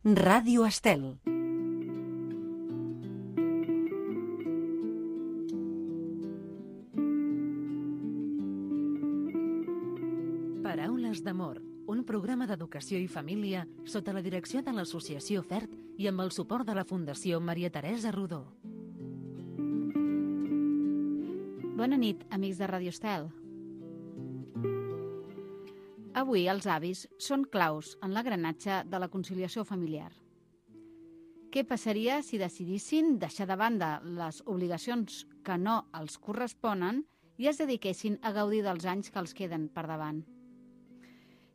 Ràdio Estel. Paraules d'amor, un programa d'educació i família sota la direcció de l'Associació FERT i amb el suport de la Fundació Maria Teresa Rodó. Bona nit, amics de Ràdio Estel. Avui els avis són claus en l'engranatge de la conciliació familiar. Què passaria si decidissin deixar de banda les obligacions que no els corresponen i es dediquessin a gaudir dels anys que els queden per davant?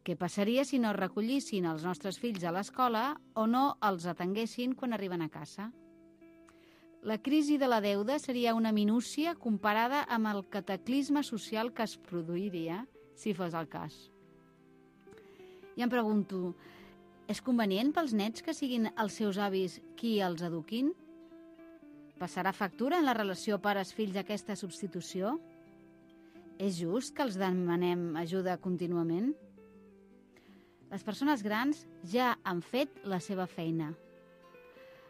Què passaria si no recollissin els nostres fills a l'escola o no els atenguessin quan arriben a casa? La crisi de la deuda seria una minúcia comparada amb el cataclisme social que es produiria si fos el cas. I em pregunto, és convenient pels nets que siguin els seus avis qui els eduquin? Passarà factura en la relació pares-fills aquesta substitució? És just que els demanem ajuda contínuament? Les persones grans ja han fet la seva feina.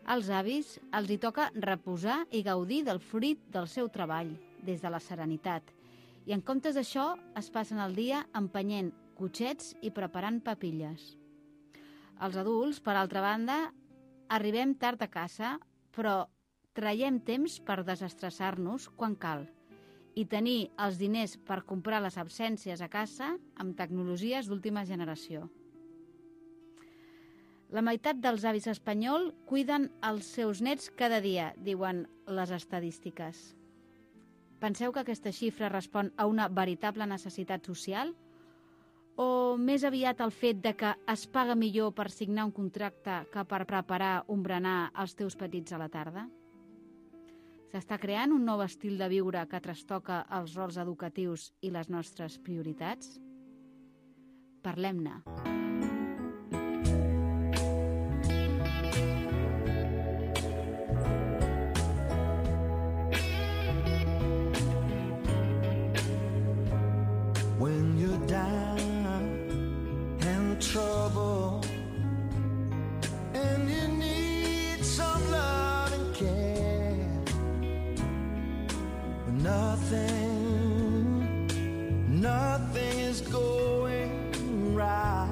Als avis els hi toca reposar i gaudir del fruit del seu treball, des de la serenitat. I en comptes d'això es passen el dia empenyent cotxets i preparant papilles. Els adults, per altra banda, arribem tard a casa, però traiem temps per desestressar-nos quan cal i tenir els diners per comprar les absències a casa amb tecnologies d'última generació. La meitat dels avis espanyols cuiden els seus nets cada dia, diuen les estadístiques. Penseu que aquesta xifra respon a una veritable necessitat social? O més aviat el fet de que es paga millor per signar un contracte que per preparar un berenar als teus petits a la tarda? S'està creant un nou estil de viure que trastoca els rols educatius i les nostres prioritats? Parlem-ne. When you're down and trouble and you need some love and care, nothing is going right.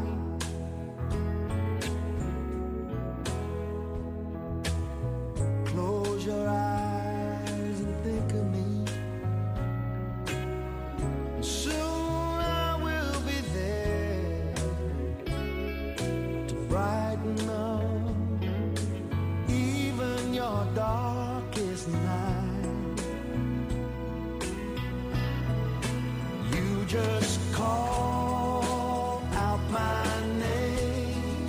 Close your eyes and think of me. Brighten up even your darkest night. You just call out my name,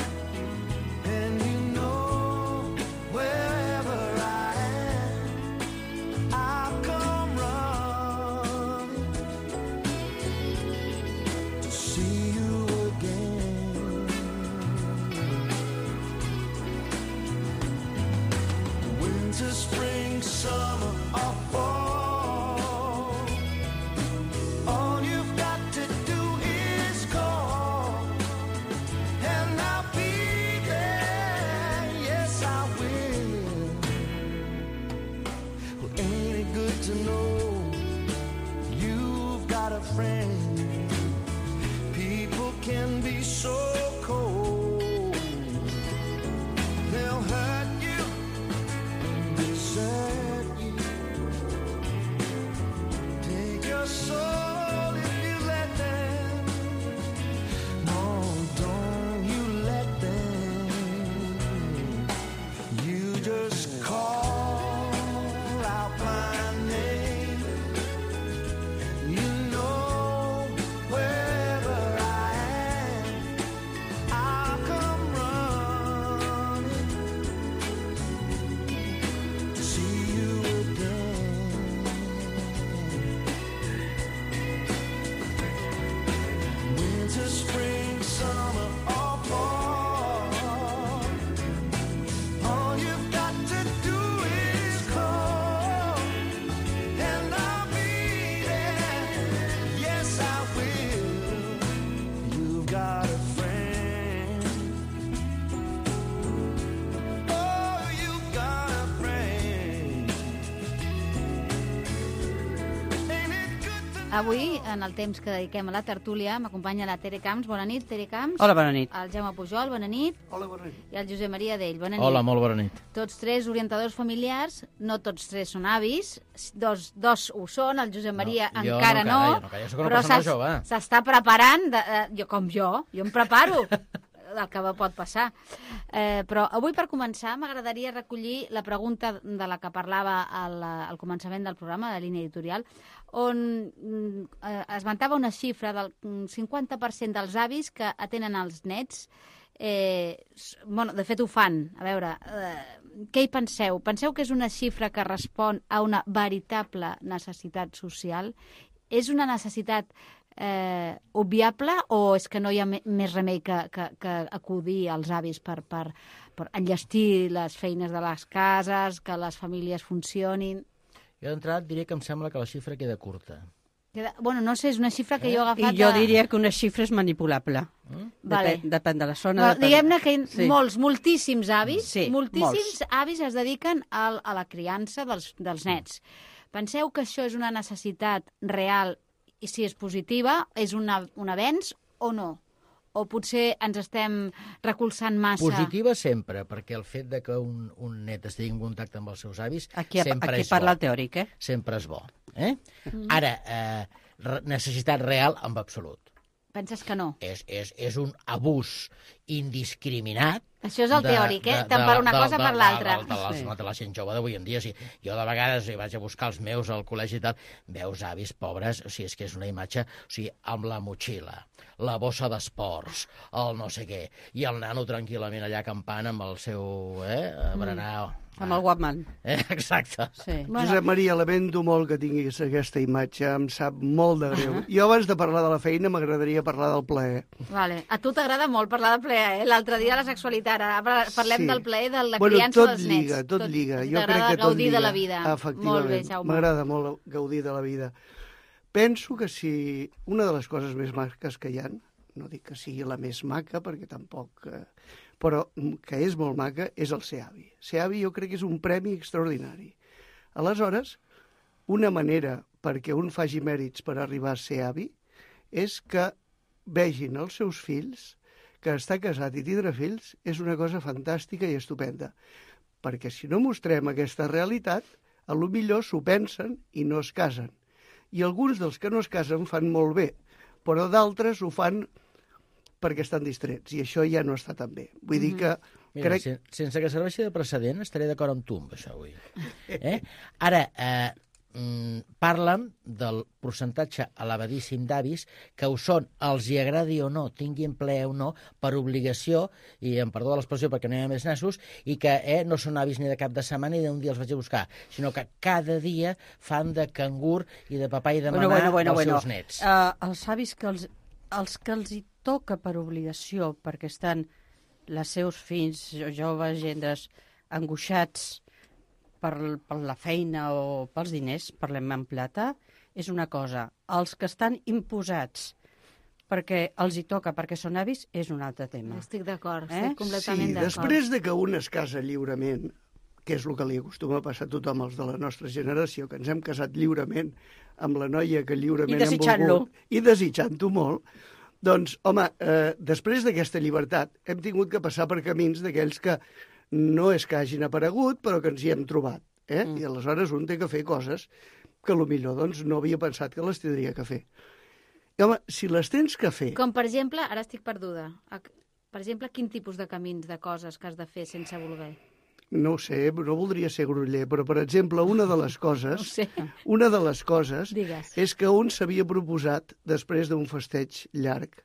and you know wherever I am, I'll come running to see you again. Winter, spring, summer, or fall, all you've got to do is call, and I'll be there, yes I will. Well, ain't it good to know you've got a friend? People can be so cold, they'll hurt you, Avui, en el temps que dediquem a la tertúlia, m'acompanya la Tere Camps. Bona nit, Tere Camps. Hola, bona nit. El Jaume Pujol, bona nit. Hola, bona nit. I el Josep Maria Dell, bona nit. Hola, molt bona nit. Tots tres orientadors familiars, no tots tres són avis, dos ho són, el Josep Maria encara no, jo soc una persona jove. S'està preparant, jo em preparo del que pot passar. Però avui, per començar, m'agradaria recollir la pregunta de la que parlava al començament del programa, de la línia editorial, on esmentava una xifra del 50% dels avis que atenen els nets. De fet, ho fan. A veure, què hi penseu? Penseu que és una xifra que respon a una veritable necessitat social? És una necessitat obviable o és que no hi ha més remei que acudir als avis per enllestir les feines de les cases, que les famílies funcionin? Jo d'entrada diria que em sembla que la xifra queda curta. No sé, és una xifra que jo he agafat... I jo diria que una xifra és manipulable. Depèn de la zona. Diguem-ne que moltíssims avis, avis es dediquen a la criança dels nets. Penseu que això és una necessitat real i si és positiva, és un avenç o no? O potser ens estem recolzant massa? Positiva sempre, perquè el fet de que un net estigui en contacte amb els seus avis sempre és bo. Aquí parla el teòric, Sempre és bo. Ara, necessitat real en absolut. Penses que no? És un abús indiscriminat. Això és el teòric, tant per una cosa per l'altra. De la gent jove d'avui en dia. Jo de vegades vaig a buscar els meus al col·legi i tal, veus avis pobres, és que és una imatge, amb la motxilla, la bossa d'esports, el no sé què, i el nano tranquil·lament allà acampant amb el seu berenar... Amb el Walkman. Exacte. Josep Maria, lamento molt que tinguis aquesta imatge, em sap molt de greu. Jo abans de parlar de la feina m'agradaria parlar del plaer. Vale. A tu t'agrada molt parlar del plaer, L'altre dia la sexualitat, ara parlem del plaer de la criança dels nets. Tot lliga. Jo crec que tot lliga. De la vida. Efectivament, m'agrada molt gaudir de la vida. Penso que si una de les coses més maques que hi ha, no dic que sigui la més maca, perquè tampoc... però que és molt maca, és el ser avi. Ser avi jo crec que és un premi extraordinari. Aleshores, una manera perquè un faci mèrits per arribar a ser avi és que vegin els seus fills, que estar casat i tindre fills és una cosa fantàstica i estupenda. Perquè si no mostrem aquesta realitat, a lo millor s'ho pensen i no es casen. I alguns dels que no es casen fan molt bé, però d'altres ho fan perquè estan distrets, i això ja no està tan bé. Vull dir que... Mira, sense que serveixi de precedent, estaré d'acord amb tu amb això avui. Ara, parla'm del percentatge elevadíssim d'avis que ho són, els hi agradi o no, tinguin plaer o no, per obligació, i em perdó de l'expressió perquè no hi ha més nassos, i que no són avis ni de cap de setmana ni d'un dia els vaig a buscar, sinó que cada dia fan de cangur i de papà i de mamà dels seus nets. Els avis que els que els hi toca per obligació, perquè estan els seus fills, joves, gendres, angoixats per la feina o pels diners, parlem en plata, és una cosa. Els que estan imposats perquè els hi toca, perquè són avis, és un altre tema. Estic d'acord, estic completament d'acord. Després de que un es casa lliurement, que és el que li acostuma a passar a tothom els de la nostra generació, que ens hem casat lliurement amb la noia que lliurement hem volgut, i desitjant-ho molt, doncs, home, després d'aquesta llibertat hem tingut que passar per camins d'aquells que no és que hagin aparegut, però que ens hi hem trobat. I aleshores un té que fer coses que potser doncs, no havia pensat que les tindria que fer. I, home, si les tens que fer... Com, per exemple, ara estic perduda, per exemple, quin tipus de camins, de coses que has de fer sense voler? No ho sé, no voldria ser groller, però, per exemple, una de les coses és que un s'havia proposat, després d'un festeig llarg,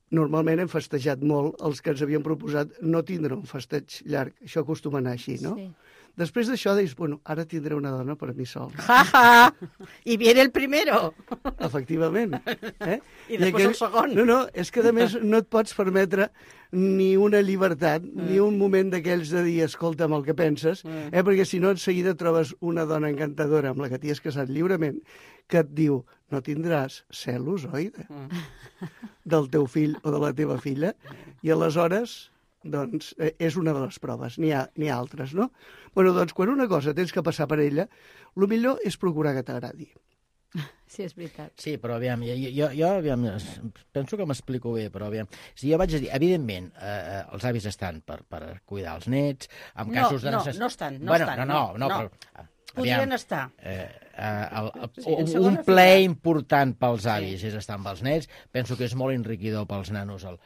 normalment hem festejat molt els que ens havien proposat no tindre un festeig llarg, això acostuma a anar així, no? Sí. Després d'això deies, bueno, ara tindré una dona per a mi sol. Ja, ja! I viene el primero! Efectivament. I després el segon. No, és que a més no et pots permetre ni una llibertat, ni un moment d'aquells de dir, escolta'm el que penses, perquè si no, en seguida trobes una dona encantadora amb la que t'hi has casat lliurement, que et diu, no tindràs celos, oi? Del teu fill o de la teva filla, i aleshores... doncs és una de les proves, n'hi ha altres, no? Bueno, doncs quan una cosa tens que passar per ella, el millor és procurar que t'agradi. Sí, és veritat. Sí, però aviam, jo aviam, penso que m'explico bé, però aviam, si jo vaig a dir, evidentment, els avis estan per cuidar els nets, en casos de necessitat... No estan, no, però... Podrien estar. Un ple important pels avis és estar amb els nets. Penso que és molt enriquidor pels nanos el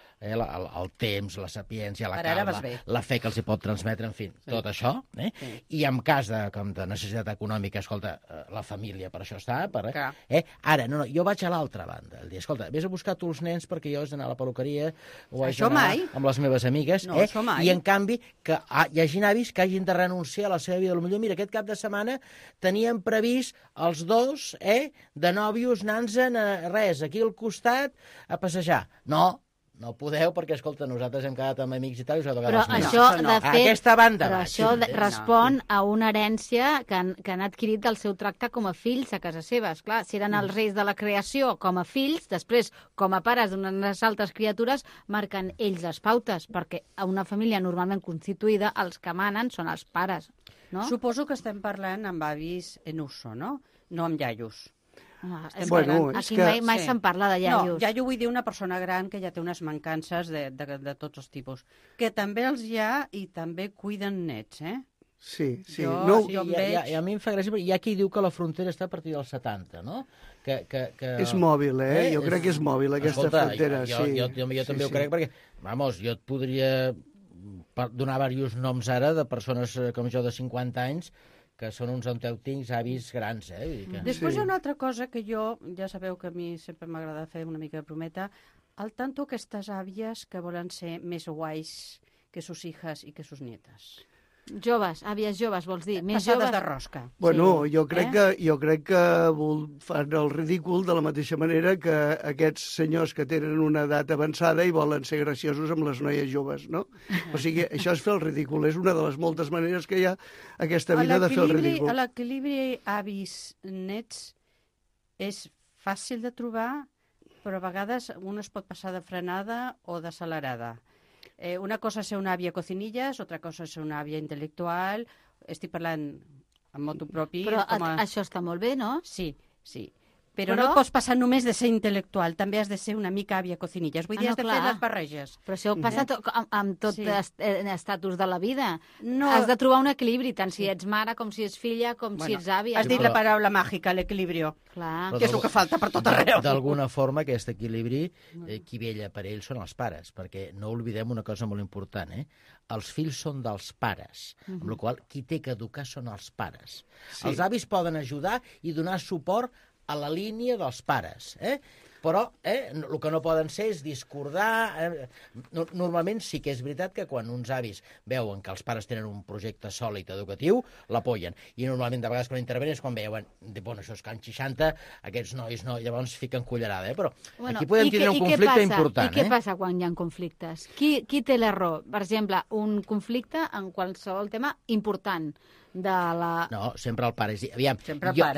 temps, la sapiència, la calma, la fe que els hi pot transmetre, en fi, tot això. I en cas de necessitat econòmica, escolta, la família per això està. Ara, no, jo vaig a l'altra banda. El dia, escolta, vés a buscar tu els nens perquè jo haig d'anar a la peluqueria o haig d'anar amb les meves amigues. I, en canvi, que hi hagi avis que hagin de renunciar a la seva vida. Potser, mira, aquest cap de setmana teníem previst els dos, de nòvios, anar-se'n aquí al costat a passejar. No podeu, perquè, escolta, nosaltres hem quedat amb amics i tal, i us ha tocat però això, de fet, aquesta banda però això respon a una herència que han adquirit del seu tracte com a fills a casa seva. Esclar, si eren els reis de la creació com a fills, després, com a pares d'unes altres criatures, marquen ells les pautes, perquè a una família normalment constituïda els que manen són els pares. No? Suposo que estem parlant amb avis en uso, no? No amb iaios. Aquí mai se'n parla de iaios. No, iaio vull dir una persona gran que ja té unes mancances de tots els tipus. Que també els hi ha i també cuiden nets, Sí. I a mi em fa gràcia, perquè hi ha qui diu que la frontera està a partir dels 70, no? És mòbil, jo crec que és mòbil, aquesta frontera. Jo també ho crec, perquè, jo et podria donar diversos noms ara de persones com jo de 50 anys que són uns autèntics avis grans, Després hi ha una altra cosa que jo, ja sabeu que a mi sempre m'agrada fer una mica de brometa, al tanto aquestes àvies que volen ser més guais que sus hijas i que sus nietes. Joves, àvies joves, vols dir? Més Passades joves de rosca. Bueno, jo crec que fan el ridícul de la mateixa manera que aquests senyors que tenen una edat avançada i volen ser graciosos amb les noies joves, no? O sigui, això és fer el ridícul. És una de les moltes maneres que hi ha aquesta vida de fer el ridícul. L'equilibri avis-nets és fàcil de trobar, però a vegades un es pot passar de frenada o d'accelerada. Una cosa és ser una àvia cocinillas, otra cosa és ser una àvia intel·lectual. Estic parlant en motu propi. Però això està molt bé, no? Sí. Però no et pots passar només de ser intel·lectual, també has de ser una mica àvia cocinillas. Vull dir, has de fer les barreges. Però això passa amb tot estatus de la vida. Has de trobar un equilibri, tant si ets mare, com si ets filla, com si ets àvia. Has dit la paraula màgica, l'equilibrio. Clar. Que és el que falta per tot arreu. D'alguna forma, aquest equilibri, qui vella per ells són els pares, perquè no oblidem una cosa molt important, els fills són dels pares, amb la qual qui té que educar són els pares. Els avis poden ajudar i donar suport a la línia dels pares, però el que no poden ser és discordar. Normalment sí que és veritat que quan uns avis veuen que els pares tenen un projecte sòlid educatiu, l'apoyen. I normalment de vegades quan intervenen és quan veuen, bueno, això és can 60, aquests nois no, llavors fiquen cullerada, però aquí podem tindre un conflicte important. I què passa quan hi ha conflictes? Qui té l'error? Per exemple, un conflicte en qualsevol tema important. No, sempre el pare. Aviam,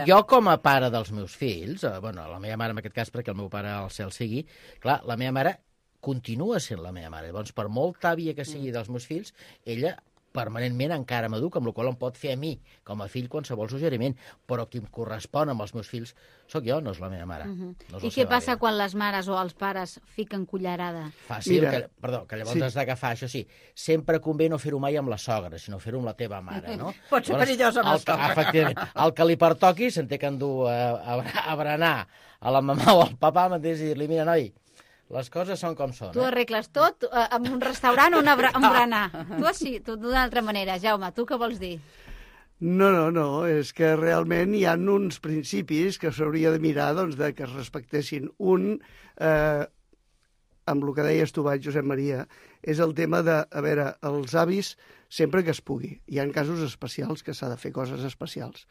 jo com a pare dels meus fills, la meva mare en aquest cas, perquè el meu pare al cel sigui, clar, la meva mare continua sent la meva mare. Llavors, per molt àvia que sigui dels meus fills, ella permanentment encara m'educa, amb la qual em pot fer a mi, com a fill, qualsevol suggeriment. Però qui em correspon amb els meus fills sóc jo, no és la meva mare. No és I què passa quan les mares o els pares fiquen cullerada? Fàcil, que llavors has d'agafar, això sí, sempre convé no fer-ho mai amb la sogra, sinó fer-ho amb la teva mare, no? Pot ser perillós amb la sogra. Efectivament. El que li pertoqui se'n té que endur a berenar a la mamà o al papà mateix i dir-li, mira, noi, les coses són com són. Tu arregles tot en un restaurant o un berenar. Tu així, tu d'una altra manera. Jaume, tu què vols dir? No, és que realment hi ha uns principis que s'hauria de mirar de que es respectessin. Un, amb el que deies tu, Josep Maria, és el tema de, els avis sempre que es pugui. Hi ha casos especials que s'ha de fer coses especials.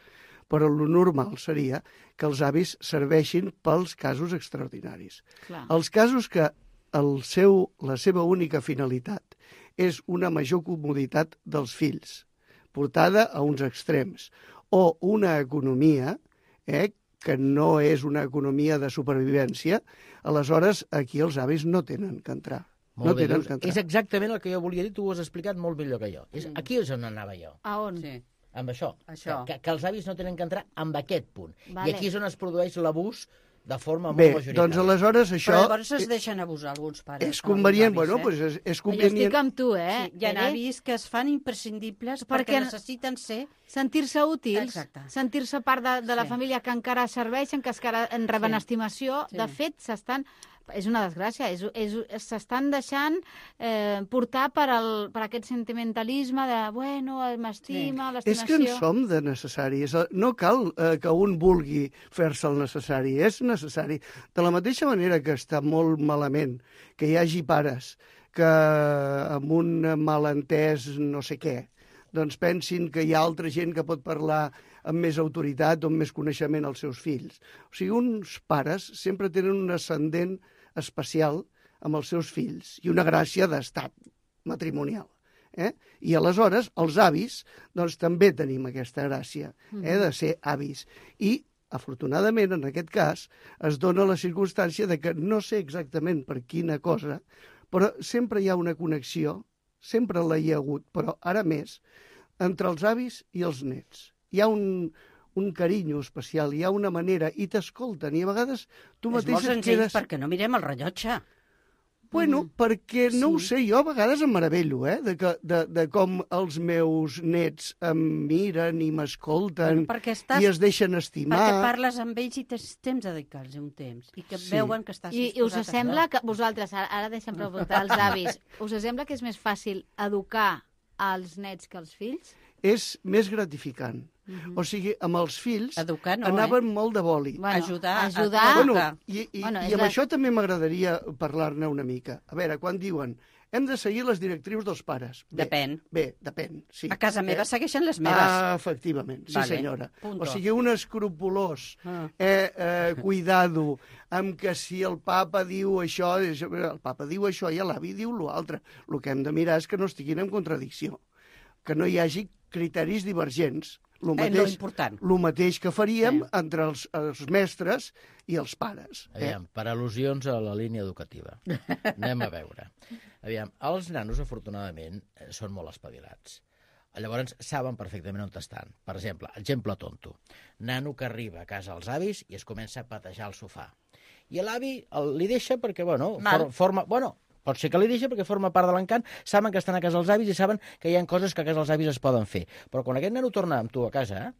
Però el normal seria que els avis serveixin pels casos extraordinaris. Clar. Els casos que la seva única finalitat és una major comoditat dels fills, portada a uns extrems, o una economia que no és una economia de supervivència, aleshores aquí els avis no tenen que entrar. Molt bé, és exactament el que jo volia dir, tu ho has explicat molt millor que jo. Aquí és on anava jo. A on? Sí. amb això. Això. Que els avis no tenen que entrar amb aquest punt. Vale. I aquí és on es produeix l'abús de forma molt Bé, majoritària. doncs aleshores això... Però llavors es deixen abusar alguns pares. És convenient, alguns bueno, avis, doncs és Jo convenient... estic amb tu, Sí, hi ha Tere? avis que es fan imprescindibles Perquè- perquè necessiten ser... Sentir-se útils, Exacte. sentir-se part de la Sí. família que encara serveixen, que encara en reben Sí. estimació. Sí. De fet, és una desgràcia, s'estan deixant portar per aquest sentimentalisme de, bueno, m'estima, És que en l'estimació... som de necessaris. No cal que un vulgui fer-se el necessari, és necessari. De la mateixa manera que està molt malament que hi hagi pares que amb un malentès no sé què, doncs pensin que hi ha altra gent que pot parlar amb més autoritat o amb més coneixement als seus fills. O sigui, uns pares sempre tenen un ascendent especial amb els seus fills i una gràcia d'estat matrimonial. I aleshores els avis doncs, també tenim aquesta gràcia de ser avis. I, afortunadament, en aquest cas, es dona la circumstància de que no sé exactament per quina cosa, però sempre hi ha una connexió, sempre la hi ha hagut, però ara més, entre els avis i els nets. Hi ha un carinyo especial, hi ha una manera, i t'escolten, i a vegades tu És mateix molt senzill perquè no mirem el rellotge. Bueno, perquè no ho Sí. sé, jo a vegades em meravello, de com els meus nets em miren i m'escolten Perquè i es deixen Perquè estimar. parles amb ells i tens temps de dedicar-los un temps. I que Sí. veuen que estàs I us disposat a sembla fer. que vosaltres, ara deixem preguntar als avis, us sembla que és més fàcil educar als nets que als fills? És més gratificant. O sigui, amb els fills Educar no, anaven molt de boli. Ajudar. Bueno, educar. i Bueno, és amb la- això també m'agradaria parlar-ne una mica. A veure, quan diuen hem de seguir les directrius dels pares. Depèn. Bé, depèn, sí. A casa meva segueixen les meves. Efectivament, sí Vale, senyora. punto. O sigui, un escrupolós Ah. cuidado amb que si el papa diu això, el papa diu això i l'avi diu l'altre. El que hem de mirar és que no estiguin en contradicció, que no hi hagi criteris divergents. Lo important. El mateix que faríem Sí. entre els mestres i els pares. Aviam, per al·lusions a la línia educativa. Anem a veure. Aviam, els nanos, afortunadament, són molt espavilats. Llavors, saben perfectament on estan. Per exemple tonto. Nano que arriba a casa als avis i es comença a patejar al sofà. I l'avi li deixa perquè, bueno, pot ser que li deixa perquè forma part de l'encant, saben que estan a casa els avis i saben que hi ha coses que a casa els avis es poden fer. Però quan aquest nano torna amb tu a casa,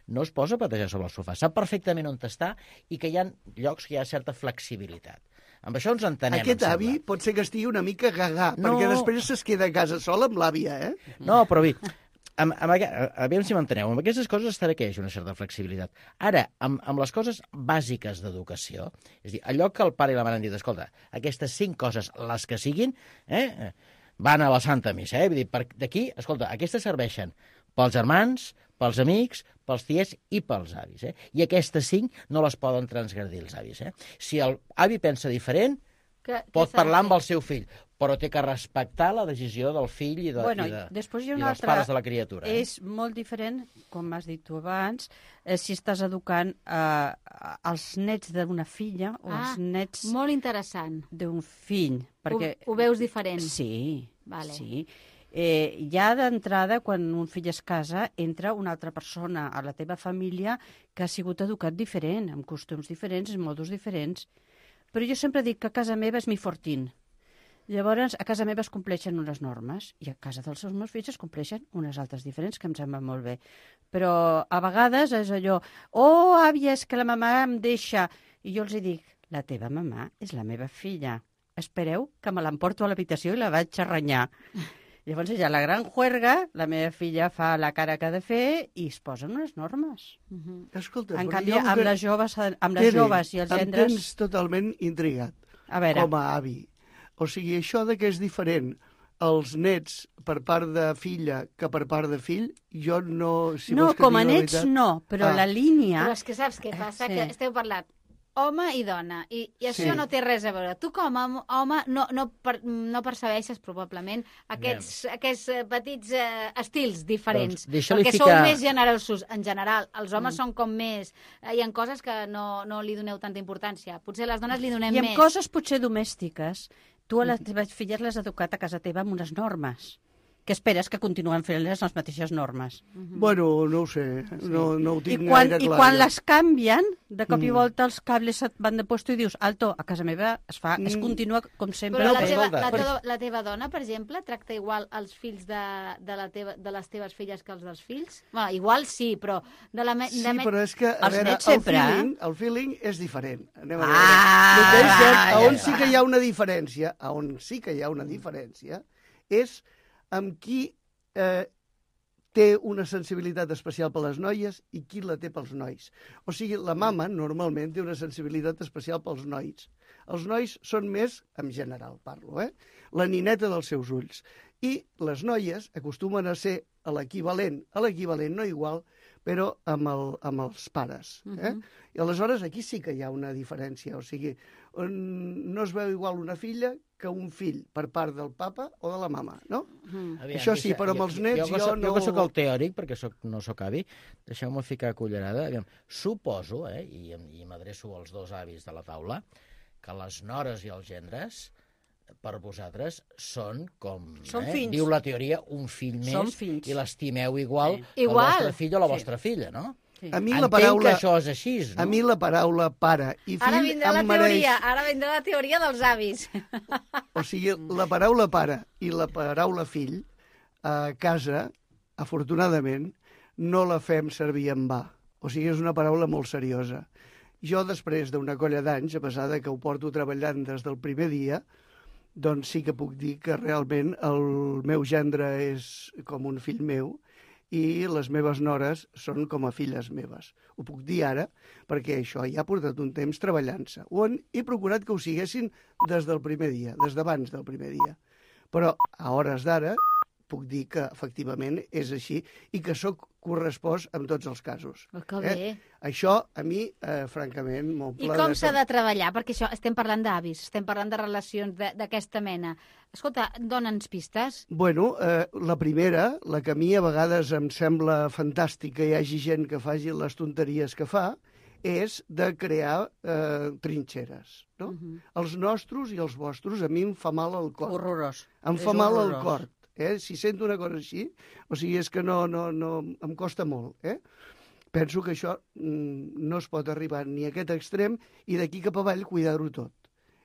no es posa a patejar sobre el sofà. Sap perfectament on està i que hi ha llocs que hi ha certa flexibilitat. Amb això ens entenem, Aquest em avi sembla. pot ser que estigui una mica gagà, No. perquè després es queda a casa sol amb l'àvia, No, però bé, aviam si m'enteneu, amb aquestes coses estarà que hi hagi una certa flexibilitat. Ara, amb les coses bàsiques d'educació, és a dir, allò que el pare i la mare han dit, escolta, aquestes 5 coses, les que siguin, van a la Santa Missa, Vull dir, d'aquí, escolta, aquestes serveixen pels germans, pels amics, pels tiets i pels avis, I aquestes 5 no les poden transgredir els avis, Si el avi pensa diferent, pot parlar amb el seu fill, però té que respectar la decisió del fill i després hi ha i una dels altra... pares de la criatura. És molt diferent, com has dit tu abans, si estàs educant els nets d'una filla o els nets Molt interessant. d'un fill. Perquè... Ho veus diferent? Sí, Vale. sí. Ja d'entrada, quan un fill es casa, entra una altra persona a la teva família que ha sigut educat diferent, amb costums diferents, amb modus diferents. Però jo sempre dic que a casa meva és mi fortín. Llavors, a casa meva es compleixen unes normes i a casa dels meus fills es compleixen unes altres diferents, que em sembla molt bé. Però a vegades és allò, àvia, és que la mamà em deixa. I jo els dic, la teva mamà és la meva filla. Espereu que me l'emporto a l'habitació i la vaig a renyar. Llavors hi ha la gran juerga, la meva filla fa la cara que ha de fer i es posen unes normes. Escolta, En però canvi, jo amb les joves i els em gendres... tens totalment intrigat, A veure, com a avi. O sigui, això de que és diferent els nets per part de filla que per part de fill, jo no... Si no, vols que com a digui la nets veritat- no, però la línia... Però és que saps què passa? Sí. Que esteu parlant home i dona, i això Sí. no té res a veure. Tu com a home no percebeixes probablement aquests petits estils diferents, Doncs deixa-li perquè ficar- sou més generosos. En general, els homes són com més... Hi ha coses que no li doneu tanta importància. Potser les dones li donem I amb més. coses potser domèstiques. Tu a les teves filles les has educat a casa teva amb unes normes. què esperes? Que continuen fent les mateixes normes. Bueno, no ho sé, no ho tinc I quan, gaire clar. I quan jo. les canvien, de cop i volta els cables et van de puesto i dius, alto, a casa meva es continua com sempre. Però No, la però teva, escolta, la teva dona, per exemple, tracta igual els fills de les teves filles que els dels fills? Bueno, igual sí, però... Sí, però és que, a Els veure, nets sempre, el feeling és diferent. Anem a Ah, veure. El que és cert, ja, on ja. sí que hi ha una diferència, on sí que hi ha una diferència, és amb qui té una sensibilitat especial per les noies i qui la té pels nois. O sigui, la mama normalment té una sensibilitat especial pels nois. Els nois són més, en general parlo, la nineta dels seus ulls. I les noies acostumen a ser a l'equivalent no igual, però amb els pares. I aleshores aquí sí que hi ha una diferència. O sigui, no es veu igual una filla que un fill per part del papa o de la mama, no? Aviam, Això sí, però amb els nets jo no... Jo que soc el teòric, perquè no soc avi, deixeu-me ficar cullerada. Aviam, suposo, i m'adreço als dos avis de la taula, que les nores i els gendres, per vosaltres, són com... Són fills. Diu la teoria, un fill Són més, fills. i l'estimeu igual Sí. que el Igual. vostre fill o la vostra filla, no? A mi Entenc la paraula... que això és així, no? A mi la paraula pare i Ara fill vindrà la em mereix... teoria, ara vindrà la teoria dels avis. O sigui, la paraula pare i la paraula fill a casa, afortunadament, no la fem servir en va. O sigui, és una paraula molt seriosa. Jo, després d'una colla d'anys, a pesar de que ho porto treballant des del primer dia, doncs sí que puc dir que realment el meu gendre és com un fill meu i les meves nores són com a filles meves. Ho puc dir ara perquè això ja ha portat un temps treballant-se. He procurat que ho siguessin des del primer dia, des d'abans del primer dia. Però a hores d'ara puc dir que efectivament és així i que sóc correspost en tots els casos. Que bé. Això, a mi, francament, I m'omple com s'ha de treballar? Perquè això, estem parlant d'avis, estem parlant de relacions d'aquesta mena. Escolta, dona'ns pistes. Bueno, la primera, la que a mi a vegades em sembla fantàstic que hi hagi gent que faci les tonteries que fa, és de crear trinxeres. No? Els nostres i els vostres a mi em fa mal al cor. Horrorós. Em És fa mal al horrorós. cor. Si sento una cosa així, o sigui, és que no em costa molt. Penso que això no es pot arribar ni a aquest extrem i d'aquí cap avall cuidar-ho tot.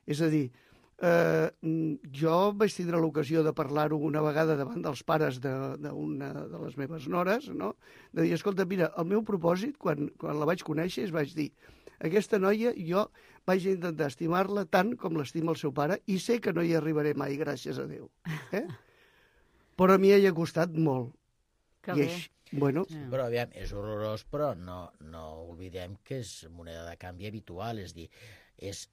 És a dir, jo vaig tindre l'ocasió de parlar-ho una vegada davant dels pares d'una de les meves nores, no? De dir, escolta, mira, el meu propòsit, quan la vaig conèixer, vaig dir, aquesta noia jo vaig intentar estimar-la tant com l'estima el seu pare i sé que no hi arribaré mai, gràcies a Déu. Però a mi hi ha costat molt. Que I bé. bueno, Però, aviam, és horrorós, però no oblidem que és moneda de canvi habitual, és dir, és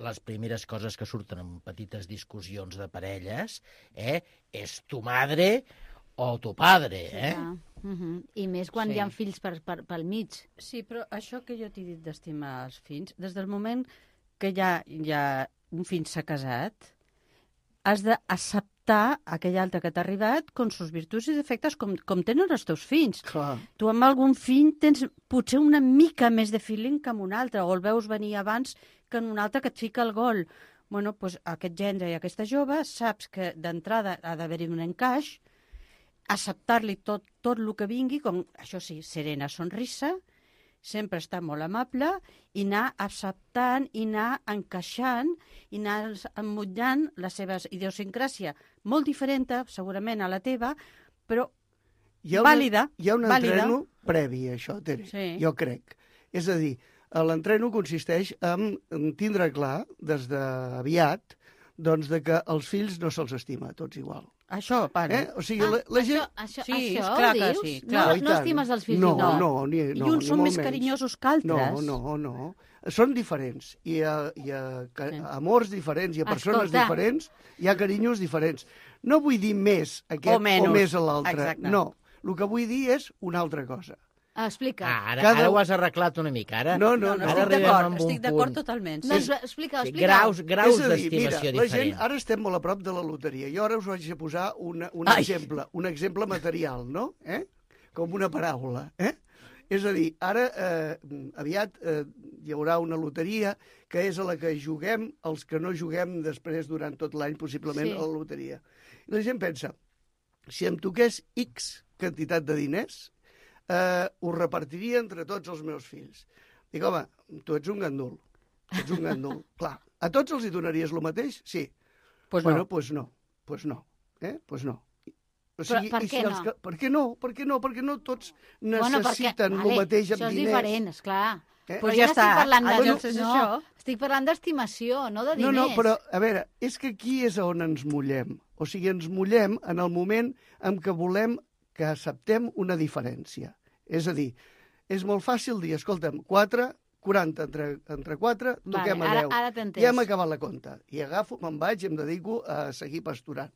les primeres coses que surten en petites discussions de parelles, és tu madre o tu padre, I més quan Sí. hi ha fills pel mig. Sí, però això que jo t'he dit d'estimar els fills, des del moment que ja un fill s'ha casat, has d'acceptar aquell altre que t'ha arribat con sus virtuts i defectes com tenen els teus fills. clar, Tu amb algun fill tens potser una mica més de feeling que amb un altre, o el veus venir abans que en un altre que et fica el gol. Bueno, doncs aquest gendre i aquesta jove saps que d'entrada ha d'haver-hi un encaix, acceptar-li tot el que vingui, com, això sí, serena sonrisa, sempre està molt amable, i anar acceptant, i anar encaixant, i anar emmotllant la seva idiosincràsia, molt diferent, segurament, a la teva, però vàlida. Hi ha un vàlida. entreno previ a això, Tere, Sí. jo crec. És a dir, l'entreno consisteix en tindre clar, des d'aviat, doncs de que els fills no se'ls estima tots igual. Això, pare. O sigui, la gent... Això Sí, això és clar que dius? sí, No, clar. I no tant. estimes els fills no, igual? No, ni I uns són molt més menys. carinyosos que altres. No. Són diferents. Hi ha amors diferents, hi ha persones Escolta. diferents, hi ha carinyos diferents. No vull dir més aquest O menys. o més a l'altre. Exacte. No. El que vull dir és una altra cosa. Explica. Ara ho has arreglat una mica. Ara, No, No, ara estic arribem d'acord, amb un estic d'acord punt. totalment. No, Sí. explica. Graus És a dir, d'estimació mira, la diferent. gent, ara estem molt a prop de la loteria. Jo ara us vaig a posar un exemple material, no? Com una paraula. És a dir, ara aviat hi haurà una loteria que és a la que juguem els que no juguem després durant tot l'any, possiblement, Sí. a la loteria. I la gent pensa, si em toqués X quantitat de diners, ho repartiria entre tots els meus fills. Dic, home, tu ets un gandul. Ets un gandul. Clar, a tots els hi donaries el mateix? Sí. Pues bueno, no. pues no. Pues no. Pues no. O sigui, per què no? Per què no? Per què no? Perquè no tots necessiten el mateix amb diners. Això és diferent, esclar. Però ja està. Estic parlant d'estimació, no de diners. No, però, a veure, és que aquí és on ens mullem. O sigui, ens mullem en el moment en què volem que acceptem una diferència. És a dir, és molt fàcil dir, escolta'm, 40 entre 4, toquem a 10. Ara t'entens. Ja hem acabat la compta. I agafo, me'n vaig i em dedico a seguir pasturant.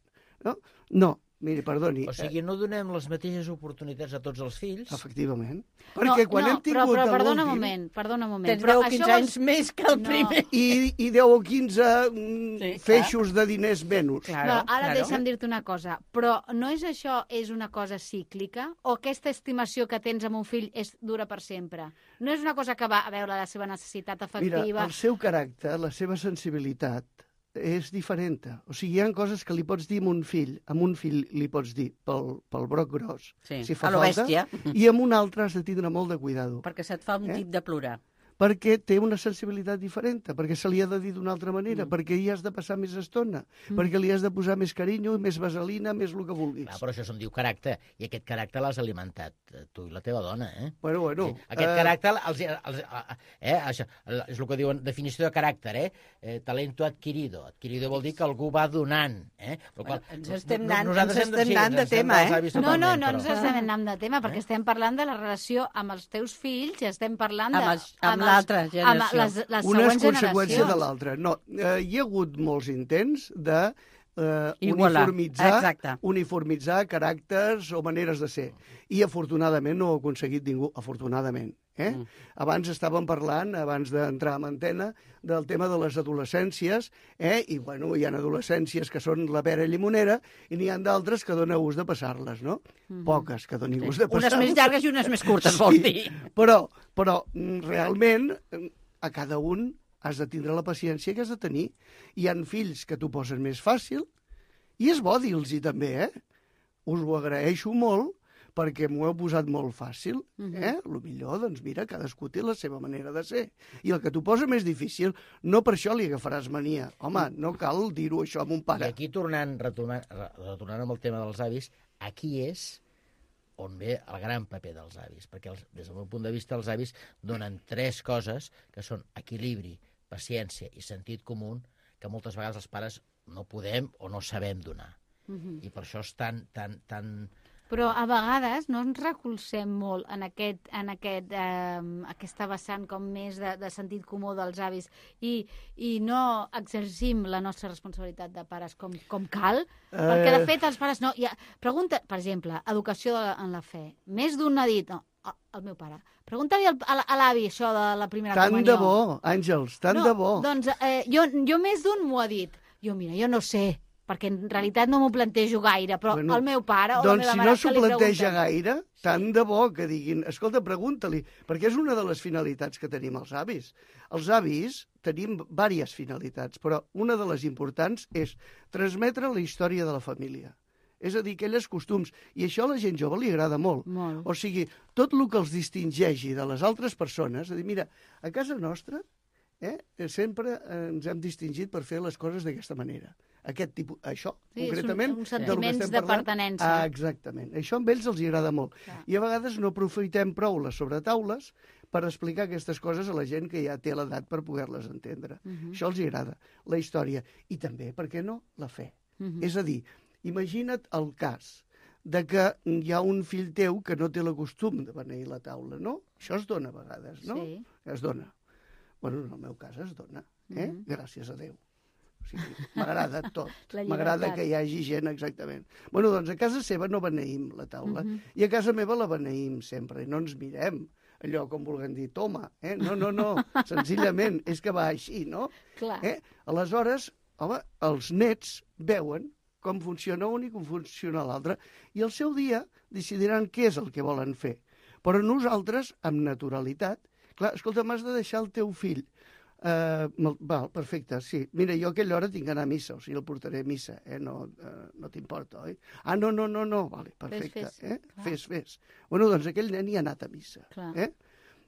No, miri, perdoni. O sigui, no donem les mateixes oportunitats a tots els fills? Efectivament. Perquè quan hem tingut però perdona un moment. Tens 10 o 15 anys més que el primer. I 10 o 15 feixos de diners menys. Claro, ara deixa'm dir-te una cosa. Però no és això, és una cosa cíclica? O aquesta estimació que tens amb un fill dura per sempre? No és una cosa que va a veure la seva necessitat afectiva? Mira, el seu caràcter, la seva sensibilitat, és diferent. O sigui, hi ha coses que li pots dir a un fill li pots dir pel broc gros, si fa falta, i amb un altre has de tindre molt de cuidado. Perquè se't fa un tip de plorar. Perquè té una sensibilitat diferent, perquè se li ha de dir d'una altra manera, perquè hi has de passar més estona, perquè li has de posar més carinyo, més vaselina, més el que vulguis. Clar, però això se'n diu caràcter, i aquest caràcter l'has alimentat tu i la teva dona, Bueno. Aquest caràcter, això, és el que diuen, definició de caràcter, talento adquirido. Adquirido vol dir que algú va donant, Ens estem anant de tema, No ens estem anant de tema, perquè estem parlant de la relació amb els teus fills i estem parlant amb l'altra generació. Les una és següents conseqüència generacions. de l'altra. No, hi ha hagut molts intents de uniformitzar caràcters o maneres de ser. I afortunadament no ho ha aconseguit ningú, afortunadament. Abans estàvem parlant, abans d'entrar en antena, del tema de les adolescències, i bueno, hi ha adolescències que són la pera llimonera i n'hi ha d'altres que dona gust de passar-les, no? Poques que doni gust de passar-les. Unes més llargues i unes més curtes, vol dir. Però realment a cada un has de tindre la paciència que has de tenir. Hi han fills que t'ho posen més fàcil i és bo dir-los-hi també, Us ho agraeixo molt perquè m'ho heu posat molt fàcil. Lo millor, doncs mira, cadascú té la seva manera de ser. I el que t'ho posa més difícil, no per això li agafaràs mania. Home, no cal dir-ho això a mon pare. I aquí, retornant amb el tema dels avis, aquí és on ve el gran paper dels avis, perquè des del meu punt de vista els avis donen 3 coses que són equilibri, paciència i sentit comú que moltes vegades els pares no podem o no sabem donar. I per això és tan... Però a vegades no ens recolzem molt en aquesta vessant com més de sentit comú dels avis i no exercim la nostra responsabilitat de pares com cal, perquè de fet els pares no... Pregunta, per exemple, educació en la fe. Més d'un ha dit... el meu pare. Pregunta-li a l'avi això de la primera comunió. Tant de bo, Àngels, tant de bo. Doncs jo més d'un m'ho ha dit. Jo no sé, perquè en realitat no m'ho plantejo gaire, però el meu pare o la meva mare... Doncs si no s'ho planteja gaire, tant de bo que diguin, escolta, pregunta-li, perquè és una de les finalitats que tenim els avis. Els avis tenim diverses finalitats, però una de les importants és transmetre la història de la família. És a dir, aquelles costums. I això a la gent jove li agrada molt. O sigui, tot el que els distingeixi de les altres persones, és a dir, mira, a casa nostra sempre ens hem distingit per fer les coses d'aquesta manera. Aquest tipus, això, concretament... Uns sentiments de pertinença. Exactament. Això amb ells els agrada molt. I a vegades no aprofitem prou les sobretaules per explicar aquestes coses a la gent que ja té l'edat per poder-les entendre. Això els agrada, la història. I també, per què no, la fe. És a dir, imagina't el cas de que hi ha un fill teu que no té el costum de beneir la taula, no? Això es dona a vegades, no? Sí. Es dona. Bueno, en el meu cas es dona, gràcies a Déu. O sigui, m'agrada tot. M'agrada que hi hagi gent, exactament. Bueno, doncs a casa seva no beneïm la taula, i a casa meva la beneïm sempre, i no ens mirem allò com vulguem dir, toma, no, senzillament, és que va així, no? Clar. Aleshores, home, els nets veuen com funciona un i com funciona l'altre, i el seu dia decidiran què és el que volen fer. Però nosaltres, amb naturalitat, clar, escolta, m'has de deixar el teu fill Val, perfecte, sí. Mira, jo a aquella hora tinc que anar a missa, o sigui, el portaré a missa, no t'importa, oi? Ah, no, vale, perfecte. Fes. Bueno, doncs aquell nen hi ha anat a missa.